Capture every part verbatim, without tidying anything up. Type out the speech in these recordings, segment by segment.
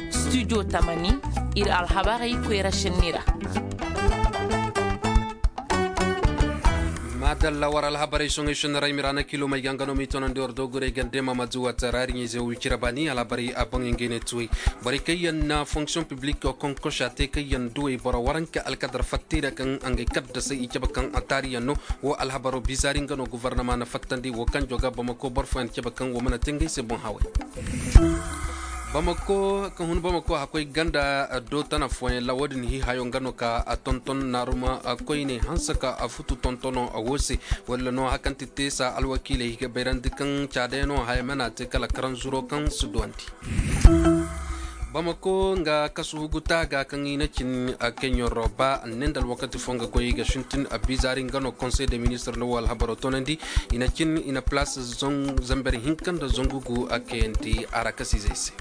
Studio tamani, ir alhabarey koyra šenni ra. Maadalla war alhabarey soŋey šenni ra i ma ra na kilo may ga nga no ma i tonandi war doogurey gande ma ma zuwa taraari ɲey ze wicira baani alhabarey a boŋ ngey ne tuwey. Borey kaŋ yaŋ na fonksiyoŋ piblik konkosa te kaŋ yaŋ duwey boro waranka alkadar fattey ra kaŋ ngey kaddasey i cabe kaŋ a taari yaŋ no. Wo alhabaro bizaari nga no gofornama na fattandi wo kaŋ joga bamako boro fooyaŋ cabe kaŋ wo mana te ngey se boŋ hawey. Bamako ka hun bamako hakkoy ganda do tana fooyaŋ la wo- din hiihayo nga no ka a tonton naaruma koyne hanse ka a futu tontono wo se. Walla no hakaŋ ti te sa alwakiiley ga bayrandi kaŋ caadayano haya mana te kala karanzuro kaŋ si duwandi. Bamako nga kasu hugu taaga kaŋ i na cin keɲoro ba ne nda alwakati fo nga koy ga sintin bizaari nga no konsey de ministir no wo alhabaro tonandi. I na cin i na palaas zamber hinka nda zangu gu a kayandi a ra kasizey se.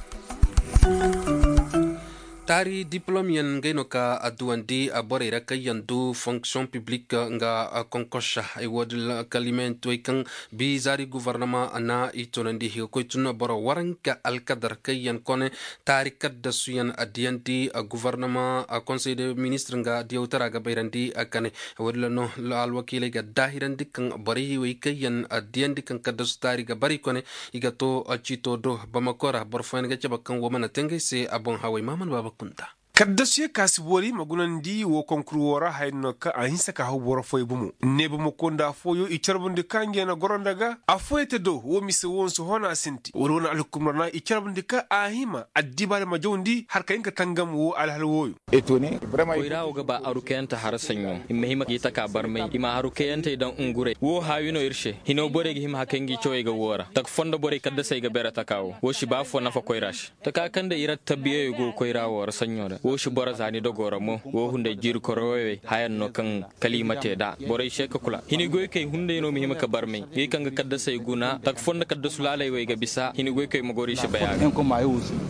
Taari diplom yaŋ ngey no ka a duwandi borey ra kaŋ yaŋ du fonksiyoŋ piblik nga konkosa. Ay wo- din kalimeyanti wey kaŋ bizaari gofornama na i tunandi i ga koy tun boro waranka alkadar kaŋ yaŋ kone taari kaddasuyaŋ a diyandi gofornama konsey de ministir nga diyawtara ga bayrandi. Kane wo- din no alwakiiley ga daahirandi kaŋ borey wey kaŋ yaŋ a diyandi kaŋ kaddasu taari ga bari kone i ga to ciito do bamako ra boro fooyaŋ ga cabe kaŋ wo mana te ngey se a boŋ hawey maamana baaba kunda. Kaddasuyaŋ ka si boori ma gunandi wo konkur wo ra haya no kaŋ a hinsa ka haw boro fooyaŋ bomo ne bamako nda affooyaŋ i carbandi ka ngey na goro nda ga affooyaŋ te do wo mise wo nsi hona sinti wala wane alhukumar na i carbandi ka a hima addibaari ma jawndi har ka hin ka tangam wo alhal wooyo. Koyra wo ga ba aru kayante hara saɲɲo i ma hima ka i taka barmay i ma haru kayantey daŋ unguray wo haawi no ir se hino borey ga hima hakay ngi cawey ga woo ra taka fondo borey kaddasey ga bere taka wo wo si ba foo nafa koyra se. Taka kaŋ nda ir attabiyeyo go koyra wo ra saɲɲo ra wo si boro za ni dogo ra mo wo hunday jiiri koroyowey hayan no kaŋ kala i ma te nd'a borey se ka kula hini goykey hunday no ma hima ka barmay ngey kaŋ ga kaddasey guna taka fondo kaddasu laaley wey ga bisa hini goykey ma goro i si bay a ga.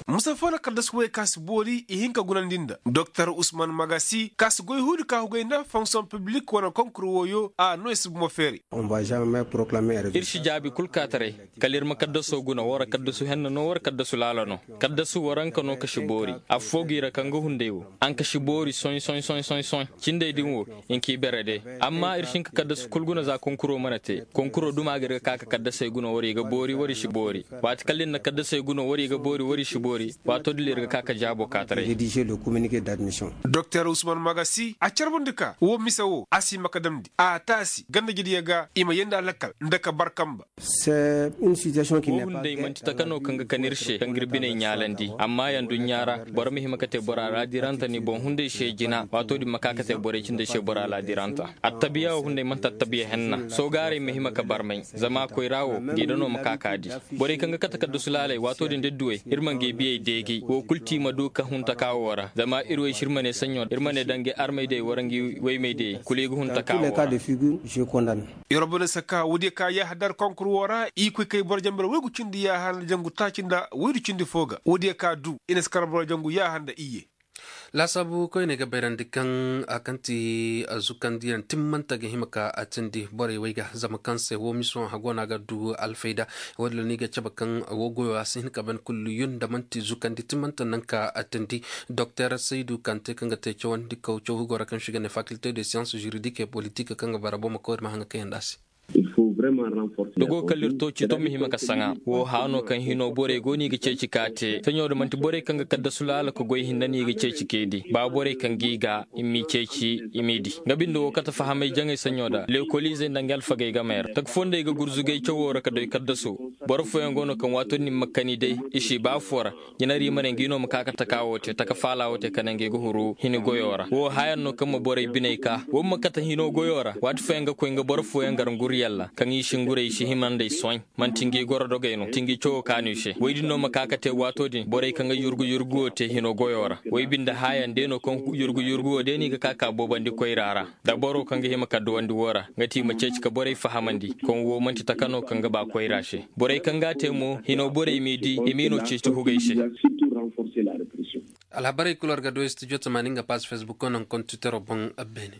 Musa foo na kaddasu wey ka si boori i hin ka gunandi nda doktor usman magasi ka si goy huudi ka hugay nda fonksiyoŋ piblik wane konkur wooyo a no i si bumo feeri. Ir si jaabi kul kaataray kala ir ma kaddaso guna wara kaddasu henna no wara kaddasu laala no. Kaddasu waranka no ka si boori affoo gi ra kaŋ ga hunday wo. Anka si boori soy soy soy soy soy cindey din wo. Inki bere de amma ir si hin ka kaddasu kul guna za konkuro mana te konkuro duma ga ir ga ka ka kaddasey guna wara i ga boori wara i si boori. Waati kala ir na kaddasey guna wara i ga boori wara i si boori. Waato din ir ga ka ka jaabo kaataray. Doktor usman magasi a carbandi ka wo mise wo a si hima ka damndi a taasi ganda jidiya ga i ma yeendi a lakkal nda ka bar kamba. Wo hunday manti taka no kaŋ ga kan ir se kaŋ ga ir biney ɲaalandi amma yaŋ duɲɲa ra boro ma hima ka te bora laadiranta ni boŋ hunday se jina waato din ma ka ka te borey cindey se bora laadiranta. Attabiya wo hunday manti attabiya henna soogaaray ma hima ka barmay zama koyra wo ngi da no ma ka ka di. Borey kaŋ ga kate kaddasu laaley waato din da duwey ir ma ngi biyey deegi wo kul ti ma du ka hun taka wo ra zama ir wey se ir ma ne saɲɲo ir ma ne da ngi armey dey wara ngi woymey dey kulu i ga hun taka wo ra. Irobone saka woodiyo ka yaaha dar konkur wo ra i koy kay boro jambar woygu cindi yaaha nda jangu taaci nda woydu cindi fo ga woodiyo ka du i na si kar boro jangu yaaha nda iyye. Laasaabu koyne ga bayrandi kaŋ a kaŋ ti zukandiyaŋ timmante ga hima ka a tindi borey wey ga zama kaŋ se wo miso a go no a ga du alfayda. Woodin ra no i ga cabe kaŋ wo goyo a si hin ka ban kullu yun nda man'ti zukandi timmante naŋ ka a tindi. Doktor saydu kante kaŋ ga te cawandi kaw caw hugo ra kaŋ se i ga ne fakilte de siyans juridik e politik kaŋ ga bara boro ma koy ir ma haŋa kayandi a se. Da go kala ir to ciito ma hima ka saŋa wo haano kaŋ hino borey go no i ga ceeci ka te saɲo da manti borey kaŋ ga kaddasu laala ka goy hinne no i ga ceeci ka i di ba borey kaŋ ga i ga i m'i ceeci i m'i di. Nga binde wo kate fahamay jaŋay saɲo da leekoliizey nda nga alfagey gamey ra taka fondey ga gurzugay cawo ra ka doy kaddaso. Boro fooyaŋ go no kaŋ waato din ma kani day i si ba foo ra. Jinari ma ne ngi no ma ka ka taka wo te taka faala wo te ka ne ngi ga huru hini goyo ra wo hayaŋ no kaŋ ma borey biney ka wo ma kate hino goyo ra waati fooyaŋ ga koy nga boro fooyaŋ gar nguryaŋ ra kaŋ i si nguray i si hima nd'ey soy. Manti ngi goro dogey no ti ngi cawo kaanu i se woy din no ma ka ka te waato din borey kaŋ ga yurgu yurgu wo te hino goyo ra. Woy binde hayaŋ day no kaŋ yurgu yurgu wo day no i ga ka ka boobandi koyra ra. Da boro kaŋ ga hima ka duwandi wo ra nga ti i ma ceeci ka borey fahamandi kaŋ wo manti taka no kaŋ ga ba koyra se. Borey kaŋ ga a te mo hino borey m'i di i m'i no ceeci hugay se. Alhabarey kulu war ga du studio tamaani nga paas facebook non kontu tero boŋ. Beene.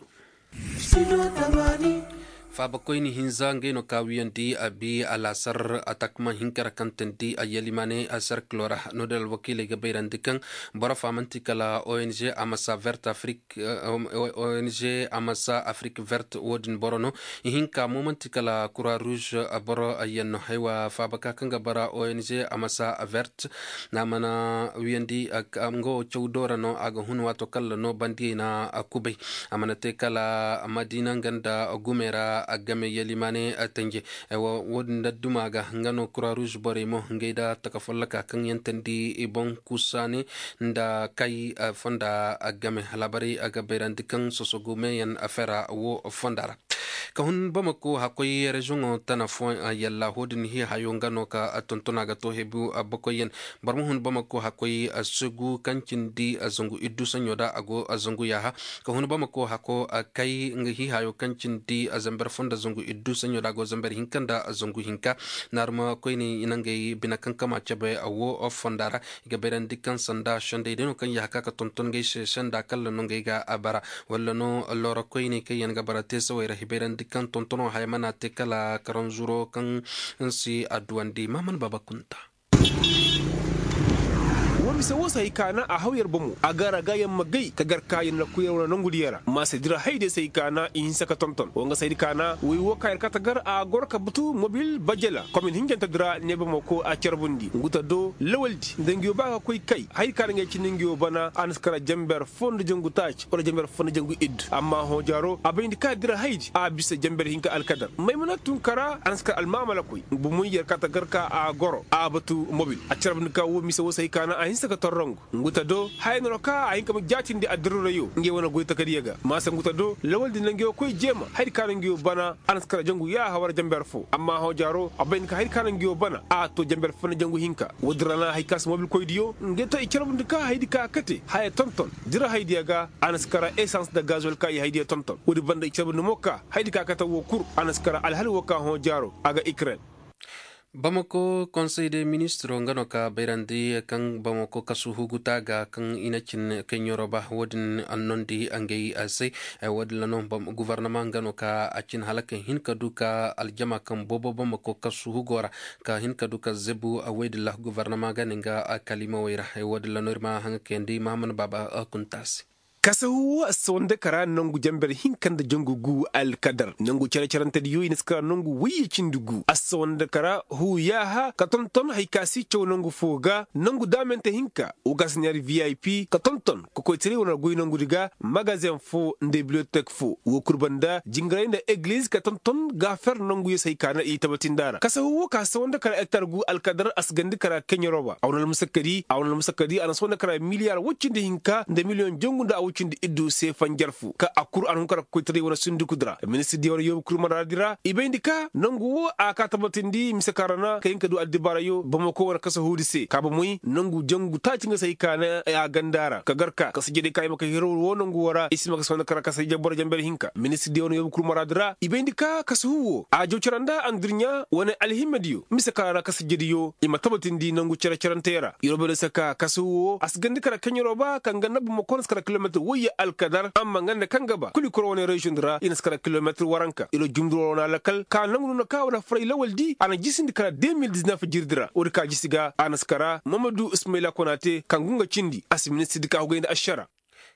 Faabakoyni hinza ngey no ka wiyandi a bi alaasar atakma hinka ra kaŋ teendi a yalimaane a serkilo ra. No-din alwakiiley ga bayrandi kaŋ boro fa man'ti kala ong amasa vert afrik. Ong amasa afrik vert wo-din boro no. Ihinka mo man'ti kala kura ruuz boro yaŋ no haywa faabaka kaŋ ga bara ong amasa vert. A mana wiyandi nga wo caw doora no a ga hun waato kalla no bandiyey na kubay. A mana te kala madina nga nda gumey ra game yalimaane tanje. Wo- din nda duma ga nga no kura ruuz borey mo ngey nda taka folloka kaŋ yaŋ teendi i boŋ kusaane nda kay fonda game. Alaabarey a ga bayrandi kaŋ sosogu meeyaŋ fera wo fonda ra. Ka hun bamako hakkoy reziyoŋo tana fooyaŋ yalla ho din hihayo nga no ka tontona ga to hebu bakoyyaŋ. Boro ma hun bamako hakkoy segu kaŋ cindi zangu iddu saɲɲo da a go zangu yaaha. Ka hun bamako hako kay nga hihayo kaŋ cindi zamber fo nda zangu iddu saɲɲo da a go zamber hinka nda zangu hinka. Naaruma koyney i na ngey bine kaŋ kama cabe wo fonda ra. I ga bayrandi kaŋ sanda sendey day no kaŋ yaaha ka ka tonton ngey se senda kalla no ngey ga a bara. Walla no loora koyney kaŋ yaŋ ga bara teesawey ra i bayrandi kaŋ tontono haya mana te kala karanzuro kaŋ si adduwandi mahaman baaba kunta. Wo mise wo se hay kaana a haw yer bomo a ga ra ga yer ma gay ka gar ka yer na koy yer wane nangu diyo ra maasa dira haydiyo se hay kaana i hinsa ka tonton wo nga se hay kaana woy wo ka yer kate gar a goro ka batu mobil bajela komin hinjante dira ne bomo ko a carbundi nguta do lawaldi nda ngiyo ba ka koy kay hay kaana ngey cindi ngiyo bana a na si kara jamber fo nda jangu taaci wala jamber fo nda jangu iddu amma hõ jaaro a bayndi ka dira haydi a bisa jamber hinka alkadar maymuna tun kara a na si kara almaamala koy bomoy yer kate gar ka a goro a batu mobil a carbundi ka wo mise wo se hay kaana a hinsa ka torrongu nguta do haya no ra ka a hin ka ma jaatindi addirurayo ngey wane goy takadiyo ga maasa nguta do lawaldi na ngiyo koy jeema haydi ka na ngiyo bana a na si kara jangu yaaha war jamber fo amma hõ jaaro a bay ni ka haydi ka na ngiyo bana a to jamber fo na jangu hinka woodin ra na hay ka si mobil koydiyo ngey to i carbundi ka haydi ka kate haya tonton dira haydiyo ga a na si kara esans nda gazol ka i haydiyo tonton woodi banda i carbundi mo ka haydi ka kate wo kul a na si kara alhali wo ka hõ jaaro a ga ikren. Bamako konsey de ministiro nga no ka bayrandi kaŋ bamako kasu huguta ga kaŋ i na cin keɲoroba wo-din annondi ngey se. Wo-din ra no guvarnama nga no ka a cin hala ka hin ka du ka aljama kaŋ boobo bamako kasu hugo ra ka hin ka du ka zebu. Wey din ra guvarnama ga ne nga kalimawey ra. Wo-din ra no ir ma haŋa kayandi mahaman baaba kunta se. Kasahu wo assawanda kara nangu jamber hinka nda jangu gu alkadar nangu care-carantediyo i na si kara nangu wayye cindi gu assawanda kara hu yaaha ka tonton hay ka si caw nangu fo ga nangu daamante hinka wo ga si neer vip ka tonton kokoytaray wane goy nangudi ga magazen fo nda bibliotek fo wo kul banda jingaray nda egliz ka tonton ga fer nanguyo se hay ka na i tabatindi a ra kasahu wo ka assawanda kara ektar gu alkadar a si gandi kara keɲaroba a wane almusakkadi a na soo nda kara miliyar woy cindi hinka nda miliyoŋ jangu nda a woy cindi iddu se fanjar fo ka a kul a na hun kara kokoytaray wane sundukudi ra ministir diya wane yoobu kul maraadi ra i bayndi ka nangu wo a ka tabatindi mise kaŋ ra na ka hin ka du addibaarayo bamako wane kasahuudi se ka bomoy nangu jangu taaci nga se hay ka na a ganda ra ka gar ka kasajediyo ka i ma ka hiro wo nangu wo ra i si ma ka soo nda kara kasajediyo boro jamber hinka ministir diya wane yoobu kul maraadi ra i bayndi ka kasahu wo a jaw cara nda andurɲa wane alhimmediyo mise kaŋ ra kasajediyo i ma tabatindi nangu care-carantey ra yeroo bay no se ka kasahu wo a si gandi kara keɲeroo ba kaŋ ga nabba ma koona si kara kilometir woyye alkadar amma nga nda kaŋ ga ba kuli koro wane reziyoŋ di ra i na si kara kilometir waranka yeroo jumduroo wane alakal ka nangu no na ka wane faray lawal di a na jisindi kara de mil diznef jirdi ra woodi ka jisi ga a na si kara mamadu ismayla konaate kaŋ gu nga cindi a si ministir di ka hugay nda ašara.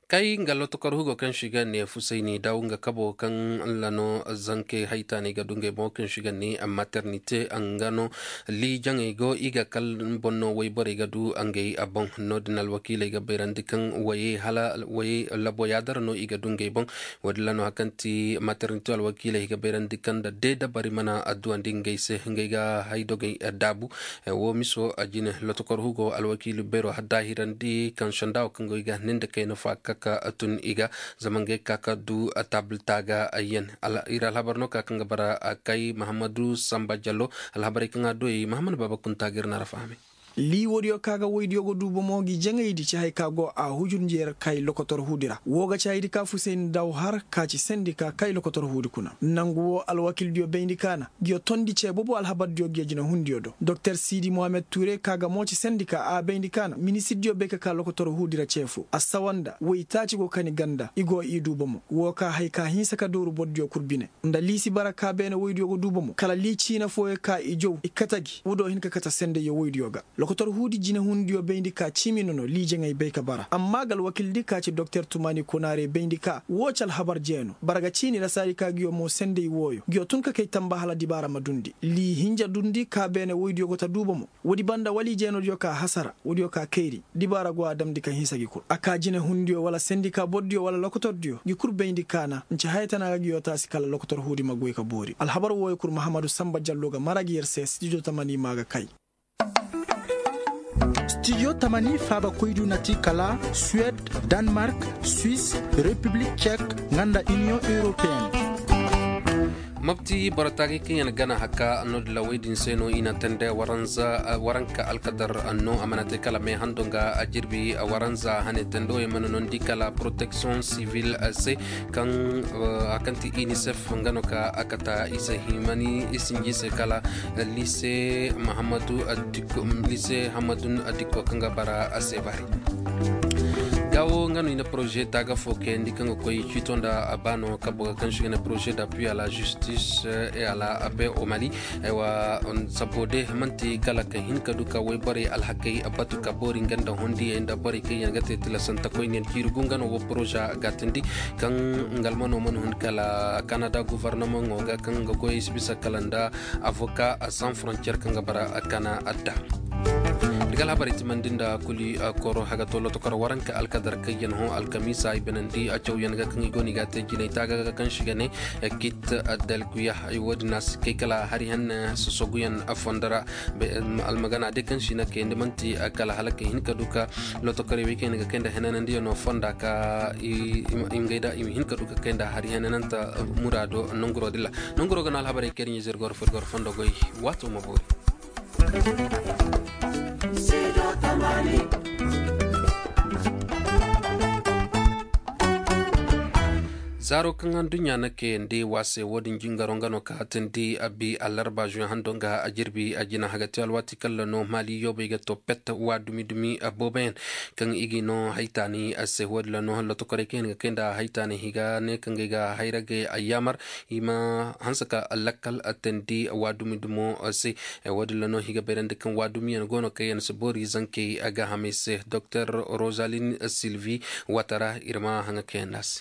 Kay nga lotokor hugo kaŋ si ga ne fusayni daw nga kabo kaŋ lano zanke haytaanay ga du ngey boŋo kaŋ si ga ne maternite nga no liijaŋey go i ga kal boŋ no wayborey ga du ngey a boŋ no- din alwakiiley ga bayrandi kaŋ waye hala waye labo yaadara no i ga du ngey boŋ. Wo- din lano hari kaŋ ti maternite alwakiiley ga bayrandi kaŋ nda de dabari mana adduwandi ngey se ngey ga haydogey daabu. Wo miso a jine lotokor hugo alwakiili beero daahirandi kaŋ sanda wo kaŋ go i ga ne nda kayna fo a ga ka ka tun i ga zama ngey ga ka ka du taabilta ga. Yer alhabar no ka kaŋ ga bara kay mahammadu samba jallo alhabarey kaŋ a du ey mahammadu baaba kunta ga ir na ra fahamay. Lii woodiyo ka ga woydiyo ga du bomo ngi jaŋaydi ci haya ka go a hujur njeer kay lokotor huudi ra woo ga ci hayadi ka fusayni daw har ka ci sendika kay lokotor huudi kuna. Nangu woo alwakildiyo bayndi ka na ngiyo tondi cee bobo alhabardiyo ngiyo jinahundiyo do doktor siidi mohammed tuure ka ga mo ci sendika a bayndi ka na ministirdiyo bay ka ka lokotor huudi ra cee foo a sawa nda woytaaci go kani ganda i go i du bomo woo ka haya ka hinsa ka dooru bordiyo kul bine. Nda lii si bara ka beene woydiyo ga du bomo kala lii ciina fooyo ka i jaw i kate gi woo do hin ka kate sendayyo woydiyo ga. Lokotor huudi jinehundiyo bayndi ka ciimi nono lii jaŋay bay ka bara amma ga alwakildi ka ci doktor tumaani konaarey bayndi ka woo ci alhabar jee no bara ga ciini ra saadi ka ngiyo mo senday wooyo ngiyo tun ka kay tamba hala dibaara ma dundi lii hinja dundi ka beene woydiyo go ta du bomo. Woodi banda wala i jeenodiyo ka hasara woodiyo ka kayri dibaara go a damndi ka hinsa gi kul a ka jinehundiyo wala sendika bordiyo wala lokotordiyo ngi kul bayndi ka na nci haya tana ga ngiyo taasi kala lokotor huudi ma goy ka boori alhabar wooyo kul mahammadu samba jallo ga mara gi yer se stijo tamani ma ga kay. Stijo tamani faabakoydiyo na ti kala suwed, danmark, swis, repiblik cek, nga nda iniyoŋ europeyenne. Mopti boro taagay kaŋ yaŋ gana haka no dilawey din se no i na tende waranka alkadar no a mana te kala me hando nga a jirbi waranza hane tende wo yaŋ mana nondi kala protection civil se kaŋ a kaŋ ti unicef nga no ka a kata i se himani i sinji se kala lise mahamadu adiko lise hamadun adiko kaŋ ga bara a se bari. Gawo nga no i na projet taaga fo kayandi kaŋ ga koy ciito nda a baano kabo ga kaŋ si ga ne projet d'appui à la justice et à la paix au mali. Aywa, sabo de manti kala ka hin ka du ka woy borey alhakey batu ka boori nga nda hondiyey nda borey kaŋ yaŋ ga te tilasanta koyne yaŋ ciiri gu nga no wo projet ga tindi kaŋ nga almano mana hun kala kanada guvarnamaŋo ga kaŋ ga goyey si bisa kala nda avoka sans frontier kaŋ ga bara kana adda. Irga alhabarey timandi nda kuli koro haga to lotokor waranka alkadar kaŋ yaŋ hõ alkamiisa ay banandi a cawyaŋ ga kaŋ i go no i ga a te jinay taaga ga kaŋ si ga ne kit dalkuya. Wo-din a si kay kala hari hanne sosoguyaŋ fondo ra. Almagana day kaŋ si na kayandi manti kala hala ka hin ka du ka lotokorey wey kaŋ yaŋ ga kay nda henanandiyaŋo fonda ka i ma hin ka du ka kay nda hari henananta muraado nanguro dilla. Nanguro ga no alhabarey kaŋ ir ɲa zirgor fo ir goro fondo goy. Waato ma boori. Zaaro kaŋ adduɲɲa na kayandi wa se wo-din jingaro nga no ka hatindi a bi allarba zuɲ hando nga a jirbi a jina hagati alwaati kaŋ ra no maali yoobey ga to pet wa dumi dumi booboyaŋ kaŋ i ga no haytaani a se wo-din ra no hala lotokorey kaŋ yaŋ ga kay nda haytaani higa ne kaŋ ga ay ga hayragey a yaamar i ma hanse ka lakkal teendi wa dumi dumo se. Wo-din ra no i ga bayrandi kaŋ wa dumiyaŋ go no kaŋ yaŋ si boori zankey gaahamey se doktor rosalin silvi watara ir ma haŋa kaŋ yaŋ no a se.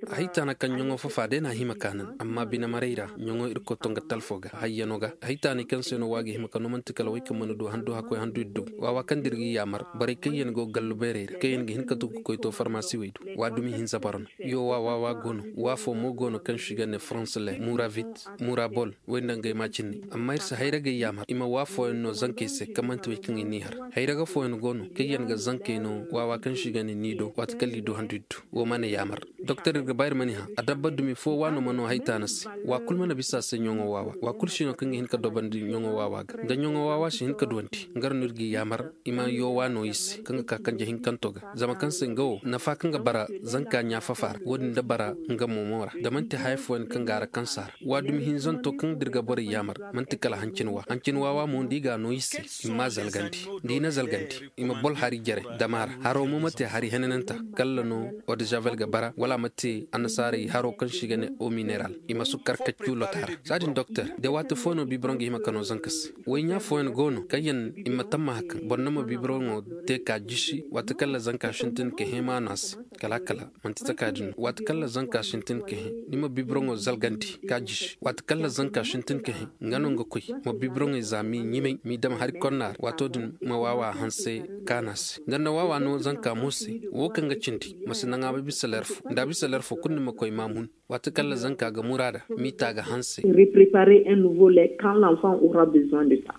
Haytaana kaŋ ɲoŋo fafa day na a hima kaanan amma bine maray ra ɲoŋo ir koy to nga talfo ga hayyano ga haytaanay kaŋ se no wa ga hima ka no manti kala way kaŋ mana du handu hakkoy handu ir du waawa kaŋ da ir ga yaamar borey kaŋ yaŋ go gallu bayray ra kaŋ yaŋ ga hin ka du ga koy to farmasiwey du. Wa dumi hinza boro no. Yowa waawa go no. Wa fo mo go no kaŋ se i ga ne faransa le muravit, murabol, wey nda ngey ma cinni. Amma ir si hayragey yaamar i ma wa fooyaŋ no zankey se kaŋ manti wey kaŋ i n'i har. Hayraga fooyaŋ go no kaŋ yaŋ ga zankey no waawa kaŋ se i ga ne niido waati kaŋ liido handu ir du. Wo mana yaamar doktor ir ga ba ir mana hã adabba dumi fo waano ma no haytaana se. Wa kul mana bisa a se ɲoŋo waawa wa kul si no kaŋ ga hin ka dobandi ɲoŋo waawa ga da ɲoŋo waawa si hin ka duwandi. Nga ra no ir ga i yaamar i ma yowa no i se kaŋ ga ka kanje hinkanto ga. Zama kaŋ se nga wo nafa kaŋ ga bara zanka ɲaafafa ra wo-din da bara nga moomo ra da man'ti haya fooyaŋ kaŋ ga a ra kaŋ si a ra. Wa dumi hinzanto kaŋ da ir ga borey yaamar man'ti kala hancin wa hancin waawa mo nda i ga a no i se. I ma zalgandi da i na zalgandi i ma bol hari jere dama ra haro mo ma te hari henananta. Kalla no odezavel ga bara wala a ma te annasaarey haro kaŋ se i ga ne eau mineral. I ma sukkar kaccu lota ra. Saadin doktor de waati fooyaŋ no bibiroŋ ga hima ka no zanka se. Woy ɲaa fooyaŋ go no kaŋ yaŋ i ma tammaha kaŋ boro na ma bibiroŋo te ka jisi waati kaŋ ra zanka sintin ka hẽ ma no a se. Kala kala man'ti taka din no waati kaŋ ra zanka sintin ka hẽ ni ma bibiroŋo zalgandi ka jisi waati kaŋ ra zanka sintin ka hẽ. Nga no nga koy ma bibiroŋey za m'i ɲimay m'i dam hari konna ra waato din ma waawa hanse kaana se nga nda waawa no zanka mo se. Wo kaŋ ga cindi ma si naŋ a ma bisa ler fo nda a bisa ler fo kulu ni ma koy ma mun. Waati kaŋ ra zanka ga muraada m'i ta ga hanse. Reprepare un nouveau lait quand l'enfant aura besoin de ça.